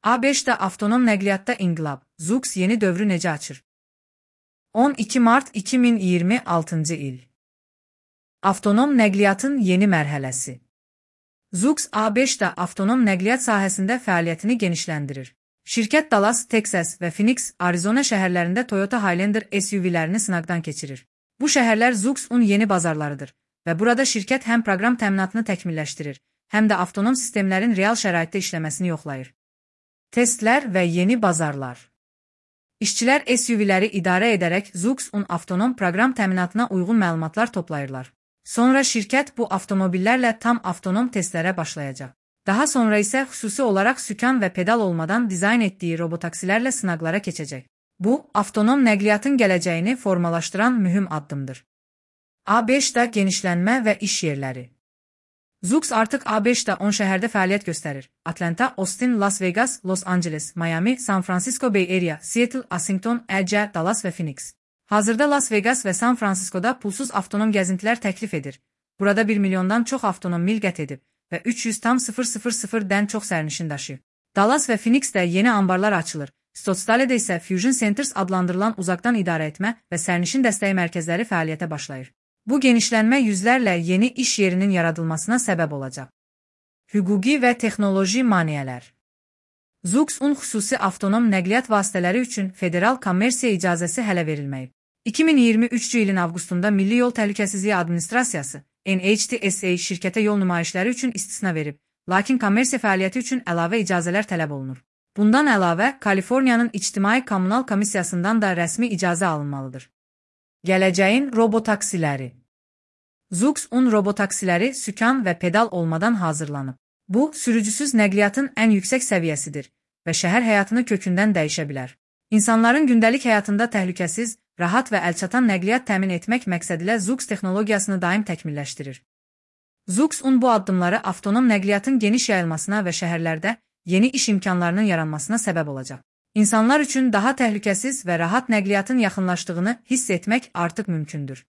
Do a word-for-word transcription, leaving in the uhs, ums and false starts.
A beşdə avtonom nəqliyyatda inqilab, Zoox yeni dövrü necə açır? on iki mart iki min iyirmi altıncı il. Avtonom nəqliyyatın yeni mərhələsi. Zoox A beşdə avtonom nəqliyyat sahəsində fəaliyyətini genişləndirir. Şirkət Dallas, Texas və Phoenix, Arizona şəhərlərində Toyota Highlander S U V-lərini sınaqdan keçirir. Bu şəhərlər Zoox-un yeni bazarlarıdır və burada şirkət həm proqram təminatını təkmilləşdirir, həm də avtonom sistemlərin real şəraitdə işləməsini yoxlayır. Testlər və yeni bazarlar. İşçilər S U V-ləri idarə edərək Zoox-un avtonom proqram təminatına uyğun məlumatlar toplayırlar. Sonra şirkət bu avtomobillərlə tam avtonom testlərə başlayacaq. Daha sonra isə xüsusi olaraq sükan və pedal olmadan dizayn etdiyi robotaksilərlə sınaqlara keçəcək. Bu, avtonom nəqliyyatın gələcəyini formalaşdıran mühüm addımdır. A beşdə genişlənmə və iş yerləri. Zoox artıq A beşdə on şəhərdə fəaliyyət göstərir. Atlanta, Austin, Las Vegas, Los Angeles, Miami, San Francisco Bay Area, Seattle, Washington, L A, Dallas və Phoenix. Hazırda Las Vegas və San Franciscoda pulsuz avtonom gəzintilər təklif edir. Burada bir milyondan çox avtonom mil qət edib və üç yüz min-dən çox sərnişin daşıyıb. Dallas və Phoenixdə yeni ambarlar açılır. Stottsdaledə isə Fusion Centers adlandırılan uzaqdan idarə etmə və sərnişin dəstəyi mərkəzləri fəaliyyətə başlayır. Bu genişlənmə yüzlərlə yeni iş yerinin yaradılmasına səbəb olacaq. Hüquqi və texnoloji maneələr. Zoox-un xüsusi avtonom nəqliyyat vasitələri üçün federal kommersiya icazəsi hələ verilməyib. iki min iyirmi üçüncü ilin avqustunda Milli Yol Təhlükəsizliyi Administrasiyası N H T S A şirkətə yol nümayişləri üçün istisna verib, lakin kommersiya fəaliyyəti üçün əlavə icazələr tələb olunur. Bundan əlavə, Kaliforniyanın İctimai Kommunal Komissiyasından da rəsmi icazə alınmalıdır. Gələcəyin robotaksiləri. Zoox-un robotaksiləri sükan və pedal olmadan hazırlanıb. Bu, sürücüsüz nəqliyyatın ən yüksək səviyyəsidir və şəhər həyatını kökündən dəyişə bilər. İnsanların gündəlik həyatında təhlükəsiz, rahat və əlçatan nəqliyyat təmin etmək məqsədilə Zoox texnologiyasını daim təkmilləşdirir. Zoox-un bu addımları avtonom nəqliyyatın geniş yayılmasına və şəhərlərdə yeni iş imkanlarının yaranmasına səbəb olacaq. İnsanlar üçün daha təhlükəsiz və rahat nəqliyyatın yaxınlaşdığını hiss etmək artıq mümkündür.